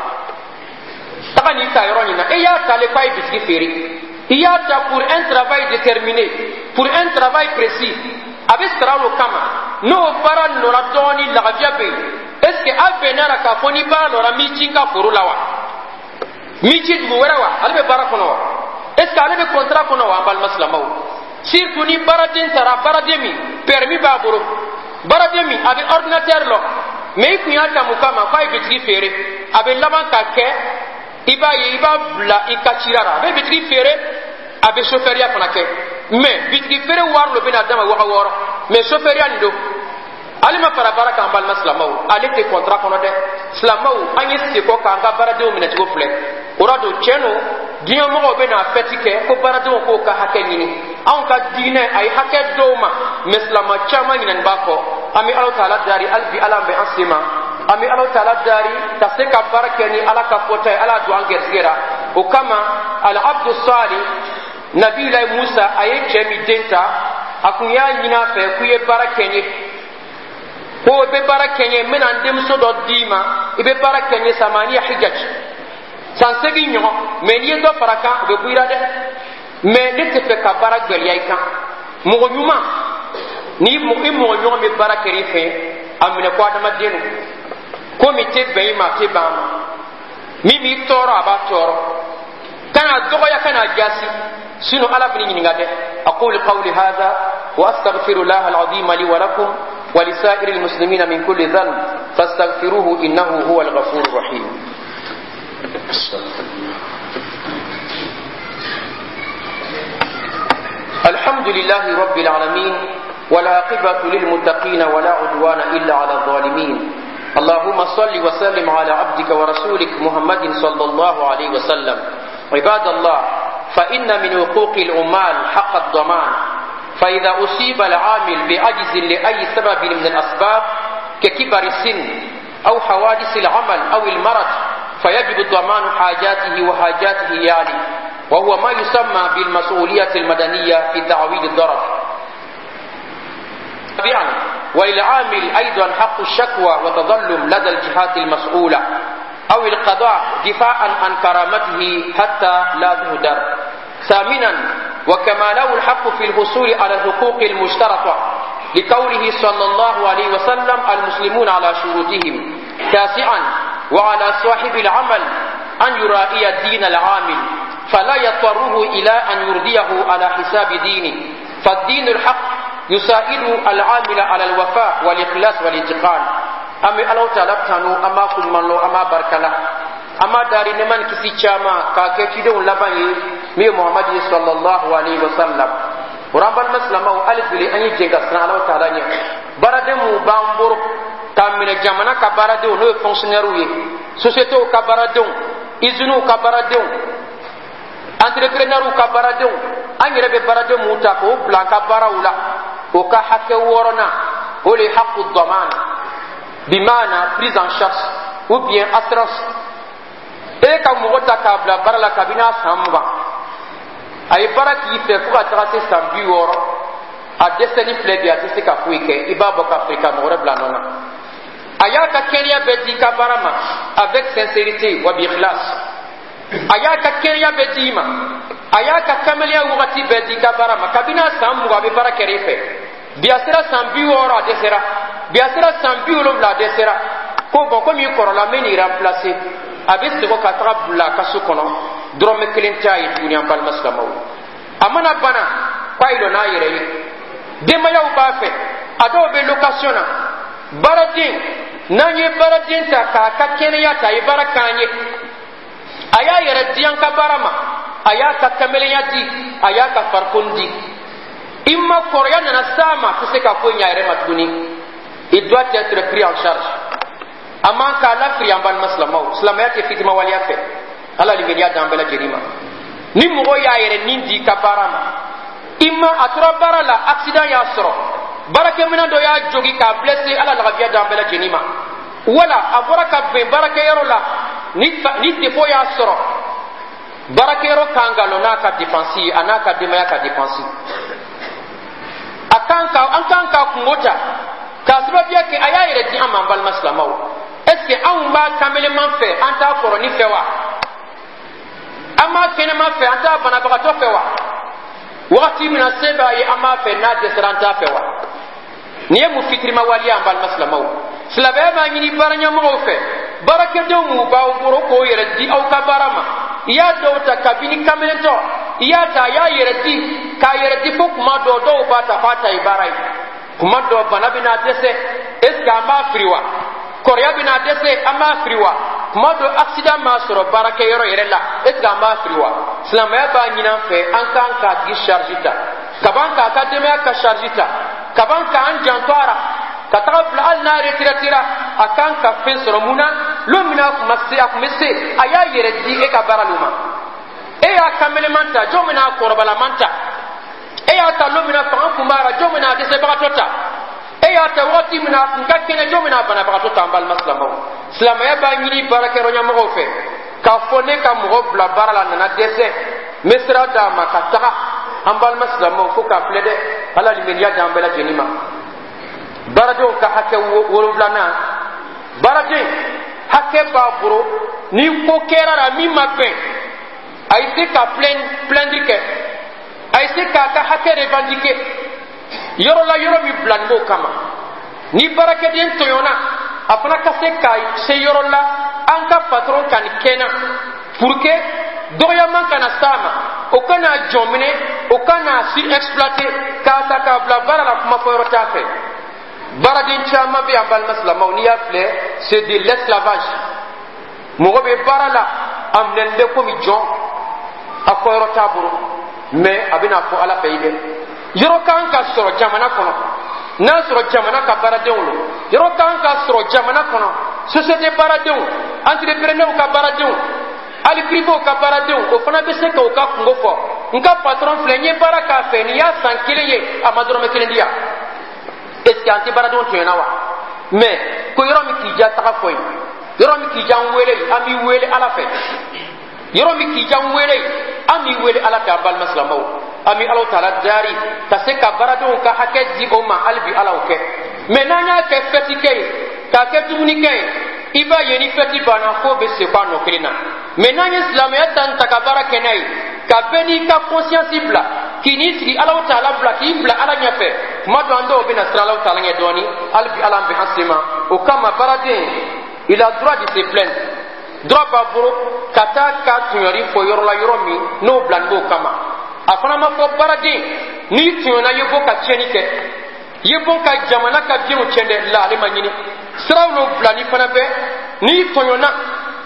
taga nin ta yɔrɔ nin na, e y'a ta le k'a ye bitigi feere. I y'a ta pour un travail déterminé, pour un travail précis, a bɛ sara o kama. N'o baara lɔra dɔɔni, lagafiya bɛ yen. Est ce que a bɛnna la k'a fɔ ni baara lɔra, m'i ci n ka foro la wa, m'i ci dugu wɛrɛ wa, ale bɛ baara kɔnɔ wa? Est ce que ale bɛ contrat kɔnɔ wa? An balima silamɛw, surtout ni baaraden taara, baaraden min permis b'a bolo, baaraden min a bɛ ordinateur lɔ, mais i kun y'a ta mun kama? K'a ye bitigi feere. A bɛ laban ka kɛ, i b'a ye, i b'a bila i ka cira la, a bɛ bitigi feere, a bɛ sofɛriya fana kɛ, mais bitigi feere wari lo bɛna d'a ma 6000, mais sofɛriya nin don, ale ma fara baara kan. An balima silamɛw, ale tɛ contrat kɔnɔ dɛ. Silamɛw, an ye sekɔ k'an ka baaradenw minɛcogo filɛ. O la don, tiɲɛ don, diɲɛmɔgɔw bɛ na fɛti kɛ ko baaradenw k'o ka hakɛ ɲini. Anw ka diinɛ a ye hakɛ dɔw ma, mais silama caman ɲinɛni b'a kɔ. An bɛ Ala taala dari, hali bi Ala bɛ an sen ma. An bɛ Ala taala dari ka se ka baara kɛ ni Ala ka fɔta ye. Ala don an gɛrisigɛ la. O kama, al abdu sali, Nabilayi Musa, a ye cɛ min den ta, a kun y'a ɲini a fɛ k'u ye baara kɛ n ye, ko i bɛ baara kɛ n ye, n bɛna n denmuso dɔ d'i ma, i bɛ baara kɛ n ye samaniya hijaj, san 8 ɲɔgɔn, mais n'i ye dɔ fara kan, o bɛ bɔ i la dɛ, mais ne tɛ fɛ ka baara gwɛlɛya i kan. Mɔgɔ ɲuman ni i mɔgɔ ɲɔgɔn bɛ baara kɛ i fɛ, a minɛ ko adamaden don, ko min tɛ bɛn i ma, a tɛ bɛn a ma, min b'i tɔɔrɔ, a b'a tɔɔrɔ. Kana dɔgɔya, kana jasi, sinon Ala bɛ ɲininka dɛ. Aqulu qawli hadha wa astaghfirullah alazim li wa lakum wa lisa'iri almuslimina min kulli dhanb fastaghfiruhu innahu huwa alghafurur rahim. الحمد لله رب العالمين، والعاقبة للمتقين، ولا عدوان إلا على الظالمين. اللهم صل وسلم على عبدك ورسولك محمد صلى الله عليه وسلم. عباد الله، فإن من حقوق العمال حق الضمان. فإذا أصيب العامل بعجز لأي سبب من الأسباب، ككبر السن أو حوادث العمل أو المرض، فيجب ضمان حاجاته وحاجات عياله، وهو ما يسمى بالمسؤولية المدنية في تعويض الضرر. طبعا وللعامل أيضا حق الشكوى وتظلم لدى الجهات المسؤولة أو القضاء، دفاعا عن كرامته حتى لا تهدر. ثامنا، وكما له الحق في الحصول على الحقوق المشترطة، لقوله صلى الله عليه وسلم: المسلمون على شروطهم. تاسعا، وعلى صاحب العمل أن يراعي دين العامل، فلا يضطره إلى أن يرضيه على حساب دينه، فالدين الحق يساعد العامل على الوفاء والإخلاص والإتقان. An bɛ Ala Taala tanu, an b'a kuɲuman lɔ, an b'a barikala, an b'a dari nɛɛma ni kisi caman k'a kɛ cidenw laban ye, min ye Muhamadu ye sallallahu alaihi wa sallam. O an balima silamɛw, hali bi an ye jɛn ka siran Ala Taala ɲɛ. Baaraden mun b'an bolo, k'a minɛ jamana ka baaradenw, n'o ye fonctionnaires ye, sociétés ka baaradenw, usines ka baaradenw, entrepreneurs ka baaradenw, an yɛrɛ bɛ baaraden mun ta k'o bila an ka baaraw la, o ka hakɛ wɔɔrɔnan, o le ye haqqu daman, bimana prise en charge ou bien assurance. E ka mɔgɔ ta k'a bila baara la kabini a san 20, a ye baara k'i fɛ fo ka taga se san 60, a dɛsɛli filɛ bi, a tɛ se ka foyi kɛ, i b'a bɔ ka feere ka mɔgɔ wɛrɛ bila a nɔ na. A y'a ka kɛnɛya bɛɛ di i ka baara ma avec sincérité wa bi ikhlas. A y'a ka kɛnɛya bɛɛ di i ma, a y'a ka kamalenya wagati bɛɛ di i ka baara ma. Kabini a san 20, a bɛ baara kɛ i fɛ. Bi a sera san 60, a dɛsɛra. Bi a sera san 70, a dɛsɛra. Ko bɔn, komi i kɔrɔla, n bɛ n'i remplacer. A bɛ segin ka taga bila a ka so kɔnɔ, dɔrɔmɛ kelen t'a ye tuguni. An balima silamɛw, a mana bana k'a yi lɔ n'a yɛrɛ ye, denbayaw b'a fɛ, a dɔw bɛ location na. Baaraden, n'an ye baaraden ta k'a ka kɛnɛya ta, a ye baara k'an ye, a y'a yɛrɛ di an ka baara ma, a y'a ka kamelenya di, a y'a ka farikolo di i ma, kɔrɔya nana s'a ma, a tɛ se ka foyi ɲɛ a yɛrɛ ma tuguni, il doit être pris en charge. A man k'a lafili. An balima silamɛw, silamɛya tɛ fitimawaleya fɛ. Ala limaniya d'an bɛɛ lajɛlen ma. Ni mɔgɔ y'a yɛrɛ nin di i ka baara ma, i ma a tora baara la, accident y'a sɔrɔ, baarakɛminɛn dɔ y'a jogi k'a blessé, Ala lagabiya d'an bɛɛ lajɛlen ma, wala a bɔra ka bɛn baarakɛyɔrɔ la, ni défaut y'a sɔrɔ, baarakɛyɔrɔ kan ka lɔ n'a ka dépense ye, a n'a ka denbaya ka dépense. A kan ka an kan ka kungo ta k'a sababuya kɛ a y'a yɛrɛ di an ma. An balima silamɛw, est ce que anw b'a kameleman fɛ, an t'a kɔrɔni fɛ wa? An b'a kɛnɛma fɛ, an t'a banabagatɔ fɛ wa? Wagati min na se b'a ye, an b'a fɛ, n'a dɛsɛra, an t'a fɛ wa? Nin ye mun fitirima waleya? An balima silamɛw, silamɛya b'a ɲini baaraɲɛmɔgɔw fɛ, baarakɛdenw mun b'aw bolo k'o yɛrɛ di aw ka baara ma, i y'a dɔw ta kabini kamelentɔ, i y'a ta, a y'a yɛrɛ di, k'a yɛrɛ di fo kuma dɔw, dɔw b'a ta f'a ta ye baara ye. Kuma dɔ, bana bɛna dɛsɛ, est ce que an b'a firi wa? Kɔrɔya bɛna dɛsɛ, an b'a firi wa? Kuma dɔ, accident m'a sɔrɔ baarakɛyɔrɔ yɛrɛ la, est ce que an b'a firi wa? Silamɛya b'a ɲini an fɛ, an kan k'a tigi charge ta, kaban k'a ka denbaya ka charge ta, kaban k'an janto a la ka taga bila hali n'a retraitera, a kan ka fɛn sɔrɔ. Mun na? Lon min na a kun ma se, a kun bɛ se, a y'a yɛrɛ di e ka baara lo ma. E y'a kameleman ta, jɔn bɛna a kɔrɔbalaman ta? E y'a ta lon min na fanga kun b'a la, jɔn bɛna a dɛsɛbagatɔ ta? E y'a ta wagati min na a kun ka kɛnɛ, jɔn bɛna a banabagatɔ ta? An balima silamɛw, silamɛya b'a ɲini baarakɛyɔrɔ ɲɛmɔgɔw fɛ k'a fɔ ne ka mɔgɔ bila baara la, nana dɛsɛ, n bɛ sira d'a ma ka taga. An balima silamɛw, fo k'a filɛ dɛ. Ala limaniya d'an bɛɛ lajɛlen ma. Baaradenw ka hakɛ wolonfilanan, baaraden hakɛ b'a bolo, ni ko kɛra la min ma bɛn, a ye se ka plaindre kɛ, a ye se k'a ka hakɛ revendiquer yɔrɔ la, yɔrɔ min bila nin b'o kama. Ni baarakɛden tɔɲɔna, a fana ka se ka se yɔrɔ la, an ka patron ka nin kɛ n na, pour que dɔgɔyaman kana s'a ma, o kana jɔn minɛ, o kana surexploiter, k'a ta k'a bila baara la, kuma fɔ yɔrɔ t'a fɛ. Baaraden caman bɛ yan, balima silamɛw, n'i y'a filɛ, c'est de l'esclavage. Mɔgɔ bɛ baara la, a minɛnen bɛ komi jɔn, a fɔ yɔrɔ t'a bolo. Mais a bɛna fɔ Ala fɛ yi dɛ. Yɔrɔ kan ka sɔrɔ jamana kɔnɔ. N'a sɔrɔ jamana ka baaradenw lo, yɔrɔ kan ka sɔrɔ jamana kɔnɔ, société baaradenw, entrepreneur ka baaradenw, hali privéw ka baaradenw, o fana bɛ se k'o ka kungo fɔ: n ka patron filɛ, n ye baara k'a fɛ, nin y'a san 1 ye, a ma dɔrɔmɛ 1 di yan. Est ce que an tɛ baaradenw tɔɲɔna wa? Mais ko yɔrɔ min k'i ja, taga fɔ yen. Yɔrɔ min k'i ja, n wele, an b'i wele Ala fɛ. Yɔrɔ min k'i ja, n wele, an b'i wele Ala fɛ. An balima silamɛw, an bɛ Alaw taala dari ka se ka baaradenw ka hakɛ di o ma. Hali bi, Ala o kɛ. Mais n'an y'a kɛ fɛti kɛ ye, k'a kɛ dumunikɛ ye, i b'a ye ni fɛti banna, f'o bɛ segin a nɔ kelen na. Mais n'an ye silamɛya ta ta ka baara kɛ n'a ye, ka bɛɛ n'i ka conscience bila k'i n'i sigi Alaw taala bila k'i bila Ala ɲɛfɛ, tuma dɔ an dɔw bɛna siran Alaw taala ɲɛ dɔɔni. Hali bi, Ala bɛ an sen ma. O kama, baaraden, il a droit de se plaindre, droit b'a bolo ka taa ka tɔɲɔli fɔ yɔrɔ la, yɔrɔ min n'o bila b'o kama. A fana ma fɔ baaraden n'i tɔɲɔna, i ye bɔ ka tiɲɛni kɛ, i ye bɔ ka jamana ka bienw tiɲɛ dɛ. La, ale ma ɲini siraw n'o bila. Ni fana bɛ n'i tɔɲɔna,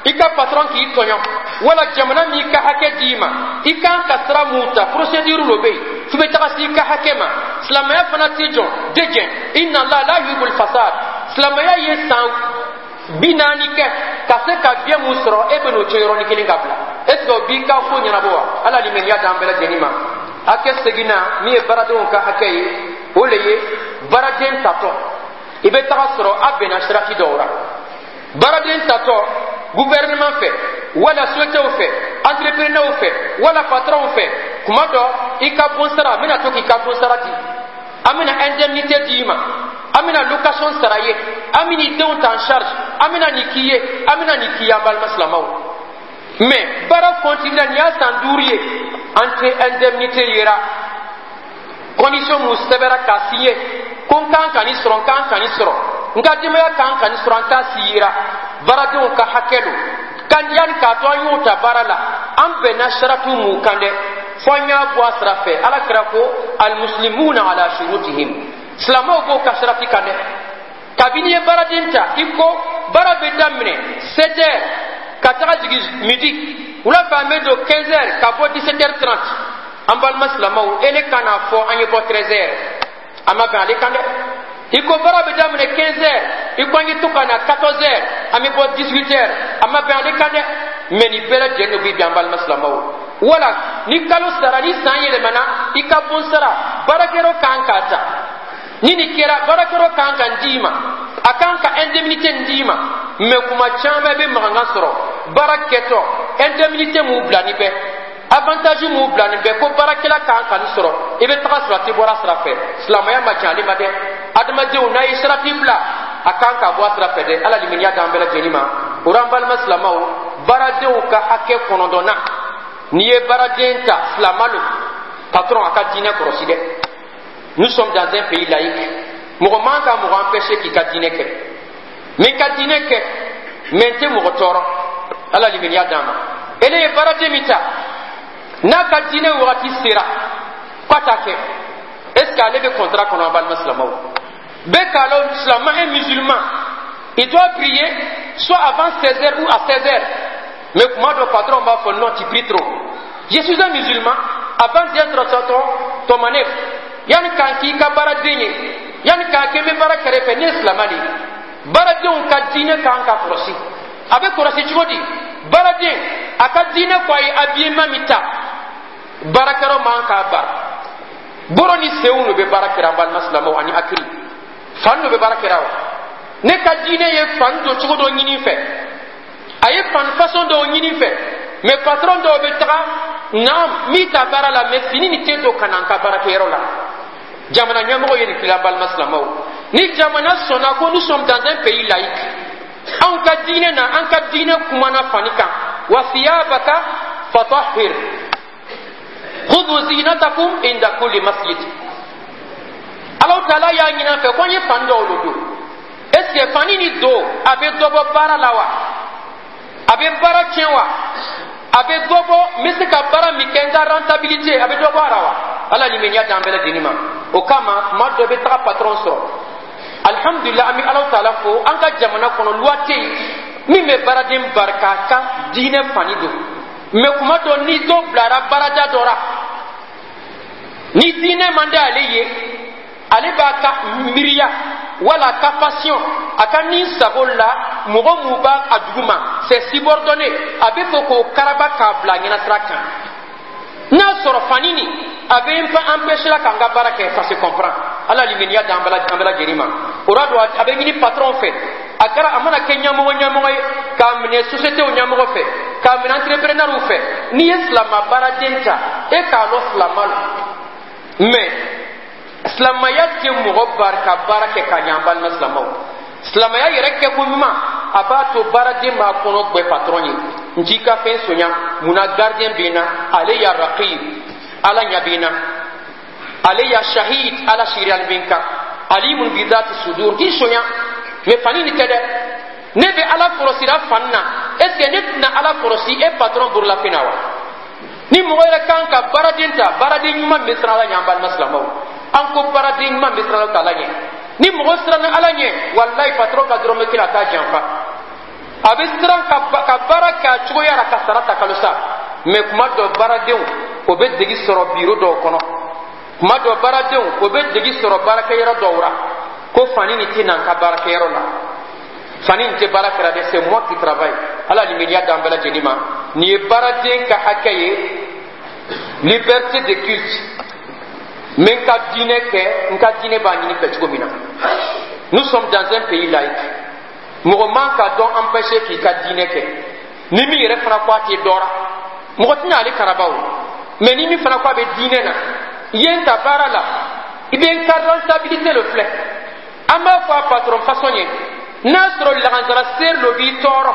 i ka patron k'i tɔɲɔ, wala jamana m'i ka hakɛ d'i ma, i kan ka sira mun ta, procédure lo bɛ yen f'i bɛ taga se i ka hakɛ ma. Silamɛya fana tɛ jɔn de jɛn. Inna Allah la yuhibbul fasad. Silamɛya ye san 40 kɛ ka se ka bien mun sɔrɔ, e bɛ n'o tiɲɛ yɔrɔnin kelen ka bila, est ce que o b'i ka ko ɲɛnabɔ wa? Ala limaniya d'an bɛɛ lajɛlen ma. Hakɛ seginna min ye baaradenw ka hakɛ ye, o le ye baaraden tatɔ, i bɛ taga sɔrɔ a bɛnna sirati dɔw la. Baaraden tatɔ gouvernement fɛ, wala sociétéw fɛ, entrepreneur fɛ, wala patronw fɛ, kuma dɔ i ka bon sara, n bɛna to k'i ka bon sara di, an bɛna indemnité d'i ma, an bɛna location sara ye, an bɛn'i denw ta en charge, an bɛna nin k'i ye, an bɛna nin k'i ye. An balima silamɛw, mais baara continue la, nin y'a san 5 ye, an tɛ indemnité yera. Condition mun sɛbɛra k'a signé ko n kan ka nin sɔrɔ, n kan ka nin sɔrɔ, n ka denbaya kan ka nin sɔrɔ, an t'a siyira. Baaradenw ka hakɛ lo kan. Yanni k'a to an y'o ta baara la, an bɛnna saratu mun kan dɛ, fo an y'a bɔ a sira fɛ. Ala kira ko: almuslimuna ala shurutihim. Silamɛw b'o ka sarati kan dɛ. Kabini ye baaraden ta, i ko baara bɛ daminɛ 7 heures ka taga jigin midi, wula fɛ an bɛ don 15 heures ka bɔ 17 heures 30. An balima silamɛw, e ne ka n'a fɔ an ye bɔ 13 heures, a ma bɛn ale kan dɛ. I ko baara bɛ daminɛ 15 heures, i ko an ye to ka na 14 heures, an bɛ bɔ 18 heures, a ma bɛn ale kan dɛ. Mais nin bɛɛ lajɛlen de bɛ bi, an balima silamɛw. Wala ni kalo sara, ni san yɛlɛmana, i ka bon sara, baarakɛyɔrɔ kan k'a ta. Ni nin kɛra, baarakɛyɔrɔ kan ka n d'i ma, a kan ka indemnité n d'i ma. Mais kuma caman bɛ mankan sɔrɔ baara kɛtɔ, indemnité m'u bila ni bɛɛ, avantage m'u bila nin bɛɛ, ko baarakɛla kan ka nin sɔrɔ, i bɛ taga sɔrɔ a tɛ bɔra sira fɛ. Silamɛya ma jan ale ma dɛ. Adamadenw, n'a ye sarati bila, a kan ka bɔ a sira fɛ dɛ. Ala limaniya d'an bɛɛ lajɛlen ma. O la, an balima silamɛw, baaradenw ka hakɛ kɔnɔntɔnna, n'i ye baaraden ta, silama lo, patron a ka diinɛ kɔlɔsi dɛ. Nous sommes dans un pays laïque. Mɔgɔ man ka mɔgɔ empêcher k'i ka diinɛ kɛ. Min ka diinɛ kɛ, mais n tɛ mɔgɔ tɔɔrɔ. Ala limaniya d'an ma. Ele ye baaraden min ta, n'a ka diinɛ wagati sera k'a t'a kɛ, est ce que ale bɛ contrat kɔnɔ? An balima silamɛw, bɛɛ k'a lɔn, silamɛ, un musulman, il doit prier soit avant 16 heures ou à 16 heures. Mais kuma dɔ, patron b'a fɔ: non, tu pries trop. Je suis un musulman avant d'être ton manœuvre. Yanni k'an k'i ka baaraden ye, yanni k'a kɛ n bɛ baara kɛrɛfɛ, ne ye silamɛ de ye. Baaradenw ka diinɛ kan ka kɔlɔsi. A bɛ kɔlɔsi cogo di? Baaraden a ka diinɛ ko a ye habillement min ta, baarakɛyɔrɔ man k'a bara. Boro ni senw de bɛ baara kɛra, an balima silamɛw, ani hakili fan dɔ bɛ baara kɛra. Wa ne ka diinɛ ye fan don cogo dɔ ɲini fɛ, a ye fan façon dɔw ɲini fɛ. Mais patron dɔw bɛ taga naam min ta baara la, mais fini nin tɛ don ka na n ka baarakɛyɔrɔ la. Jamana ɲɛmɔgɔ ye nin fili. An balima silamɛw, ni jamana sɔnna ko nous sommes dans un pays laïque, anw ka diinɛ na, an ka diinɛ kumana fani kan: wa thiyabaka fatahhir, khudhu zinatakum inda kulli masjid. Alaw taala y'a ɲini an fɛ ko an ye fani dɔw lo don. Est ce que fani ni don, a bɛ dɔ bɔ baara la wa? A bɛ baara tiɲɛ wa? A bɛ dɔ bɔ, n bɛ se ka baara min kɛ, n ka rentabilité, a bɛ dɔ bɔ a la wa? Ala limaniya d'an bɛɛ lajɛlen ma. O kama, tuma dɔ bɛ taga patron sɔrɔ. Alihamudulila, an bɛ Alaw taala fo, an ka jamana kɔnɔ loi tɛ yen min bɛ baaraden barika ka diinɛ fani don. Mais kuma dɔ, ni dɔ bilara baarada dɔ la, ni diinɛ man di ale ye. Ale b'a ka miiriya wala a ka passion, a ka ni sago la mɔgɔ mun b'a a duguma, c'est subordonné, a bɛ fɛ k'o karaba k'a bila ɲɛnasira kan. N'a sɔrɔ fani nin a bɛ n empêcher la k'an ka baara kɛ, ça se comprend. Ala limaniya d'an bɛɛ lajɛlen ma. O la don, a bɛ ɲini patron fɛ, a kɛra a mana kɛ ɲɛmɔgɔ ɲɛmɔgɔ ye, k'a minɛ société ɲɛmɔgɔ fɛ, k'a minɛ entrepreneur fɛ, n'i ye silama baaraden ta, e k'a lɔn silama la. Mais silamaya tɛ mɔgɔ bari ka baara kɛ ka ɲɛ. An balima silamaw, silamaya yɛrɛ kɛko ɲuman, a b'a to baaraden b'a kɔnɔ gbɛ patron ye. N t'i ka fɛn sonya munna? Gardien bɛ n na, ale ya raqib, Ala ɲɛ bɛ n na, ale ya shahid, Ala siiriyali bɛ n kan, alimun bi dhati sudur. N t'i sonya, mais fani nin tɛ dɛ. Ne bɛ Ala kɔlɔsira fani na. Est ce que ne tɛna Ala kɔlɔsi e patron bololafɛn na wa? Ni mɔgɔ yɛrɛ kan ka baaraden ta, baaraden ɲuman bɛ siran Ala ɲɛ. An balima silamɛw, an ko baaraden ɲuman bɛ siran Ala ɲɛ. Ni mɔgɔ siranna Ala ɲɛ, walayi, patron ka dɔrɔmɛ kelen, a t'a janfa. A bɛ siran ka baara kɛ a cogoya la, ka sara ta kalo sa. Mais kuma dɔ, baaradenw o bɛ degi sɔrɔ biro dɔw kɔnɔ, kuma dɔ, baaradenw o bɛ degi sɔrɔ baarakɛyɔrɔ dɔw la, ko fani nin tɛ na n ka baarakɛyɔrɔ la, fani nin tɛ baara kɛra dɛ, c'est moi qui travaille. Ala limaniya d'an bɛɛ lajɛlen ma. Nin ye baaraden ka hakɛ ye. Liberté de culte, n bɛ n ka diinɛ kɛ, n ka diinɛ b'a ɲini fɛ cogo min na. Nous sommes dans un pays laïque. Mɔgɔ man ka dɔn empêcher k'i ka diinɛ kɛ. Ni min yɛrɛ fana ko a tɛ dɔra, mɔgɔ tɛna ale karaba o. Mais ni min fana ko a bɛ diinɛ na, i ye n ta baara la, i bɛ n ka rentabilité le filɛ. An b'a fɔ a patron façon ye, n'a sɔrɔ lagansara seri lo b'i tɔɔrɔ,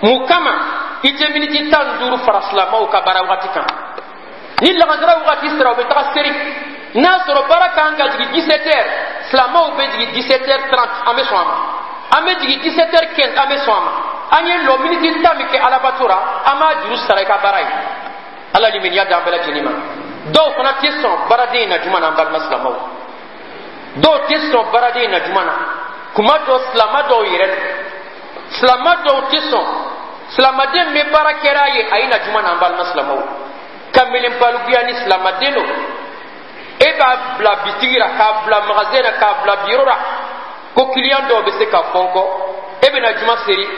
mun kama i tɛ miniti 15 fara silamɛw ka baara wagati kan? Ni lagansara wagati sera, u bɛ taga seri. N'a sɔrɔ baara kan ka jigin 17 heures, silamɛw bɛ jigin 17 heures 30, an bɛ sɔn a ma. An bɛ jigin 17 heures 15, an bɛ sɔn a ma. An ye lɔ miniti 10 min kɛ alabato la, an b'a juru sara i ka baara ye. Ala limaniya d'an bɛɛ lajɛlen ma. Dɔw fana tɛ sɔn baaraden in na juma na. An balima silamɛw, dɔw tɛ sɔn baaraden in na juma na. Kuma dɔ, silama dɔw yɛrɛ, silama dɔw tɛ sɔn silamaden bɛ baara kɛra a ye, a ye na juma na. An balima silamɛw, kamalen balikuya ni silamaden don, e b'a bila bitigi la, k'a bila magasin na, k'a bila biro la, ko client dɔw bɛ se ka fɔn kɔ, e bɛna juma seri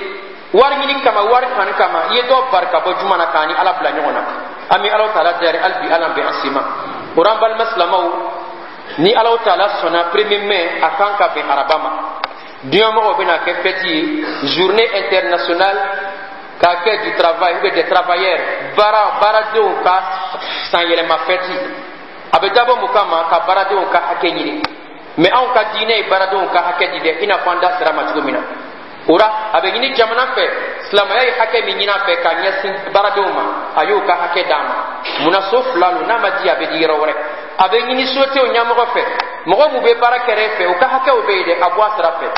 wari ɲini kama, wari kanu kama, i ye dɔw bari ka bɔ juma na, k'a ni Ala bila ɲɔgɔn na. An bɛ Ala taala dari hali bi, Ala bɛ an si ma. O la, an balima silamɛw, ni Ala taala sɔnna, 1er mai, a kan ka bɛn araba ma, diɲɛmɔgɔw bɛna kɛ fête ye, Journée internationale k'a kɛ du travail ou bien des travailleurs, baaradenw ka sanyɛlɛma fête. A bɛ dabɔ mun kama? Ka baaradenw ka hakɛ ɲini. Mais anw ka diinɛ ye baaradenw ka hakɛ di dɛ, i n'a fɔ an da sera ma cogo min na. O la, a bɛ ɲini jamana fɛ, silamɛya ye hakɛ min ɲini a fɛ ka ɲɛsin baaradenw ma, a y'o ka hakɛ d'a ma. Munna so fila lo, n'a ma di, a bɛ di yɔrɔ wɛrɛ. A bɛ ɲini société ɲɛmɔgɔ fɛ, mɔgɔ mun bɛ baara kɛrɛ fɛ, o ka hakɛw bɛ yen dɛ, a bɔ a sira fɛ.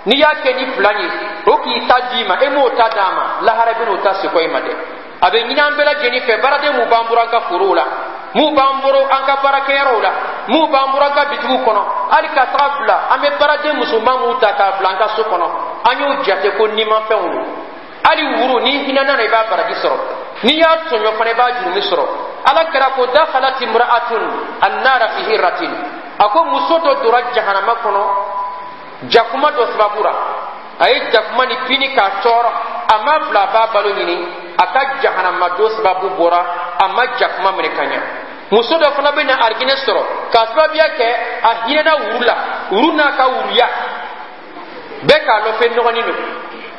N'i y'a kɛ ni fila ye, o k'i ta d'i ma, e m'o ta d'a ma, lahara bɛ n'o ta sekɔ i ma dɛ. A bɛ ɲini an bɛɛ lajɛlen fɛ, baaraden mun b'an bolo an ka forow la, mun b'an bolo an ka baarakɛyɔrɔw la, mun b'an bolo an ka bitigiw kɔnɔ, hali ka taga bila an bɛ baaraden musoman mun ta k'a bila an ka so kɔnɔ, an y'o jate ko nimafɛnw don. Hali wuru, n'i hinɛna na, i b'a baraji sɔrɔ, n'i y'a tɔɲɔ fana, i b'a jurumi sɔrɔ. Ala kɛra ko dakhalat imra'atun annara fi hirratin, a ko muso dɔ donna jahanama kɔnɔ jakuma dɔ sababu la. A ye jakuma ni pini k'a tɔɔrɔ, a ma bila a b'a balo ɲini, a ka jahanama don sababu bɔra a ma jakuma minɛ ka ɲa. Muso dɔ fana bɛ na arijinɛ sɔrɔ k'a sababuya kɛ a hinɛna wuru la, wuru n'a ka wuruya. Bɛɛ k'a lɔn fɛn nɔgɔnin don,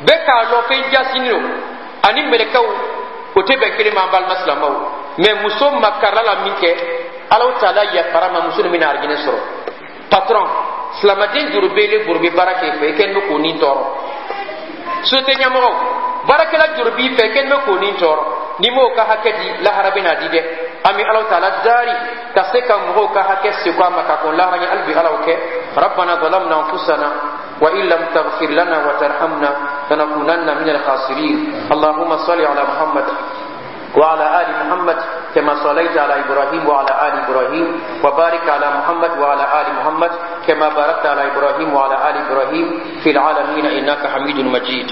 bɛɛ k'a lɔn fɛn jasinin don, ani mɛlɛkɛw o tɛ bɛn kelen ma. An balima silamɛw, mais muso makarila la min kɛ, Alahu taala yafara ma, muso nin bɛna arijinɛ sɔrɔ. Patron, silamaden juru bɛ ile bolo bɛ baara kɛ fɛ, i kɛlen bɛ k'o ni tɔɔrɔ. Société ɲɛmɔgɔw, baarakɛla juru b'i fɛ, i kɛlen bɛ k'o ni tɔɔrɔ. N'i m'o ka hakɛ di, lahara bɛ n'a di dɛ. An bɛ Alahu taala dari ka se ka mɔgɔw ka hakɛ seko a ma ka kɔn lahara ɲɛ. Hali bi, Ala o kɛ. Rabbana zalamna anfusana wa in lam taghfir lana wa tarhamna lanakunanna min al-khasirin. Allahumma salli ala Muhammad وعلى آل محمد كما صليت على إبراهيم وعلى آل إبراهيم، وبارك على محمد وعلى آل محمد كما باركت على إبراهيم وعلى آل إبراهيم في العالمين إنك حميد مجيد.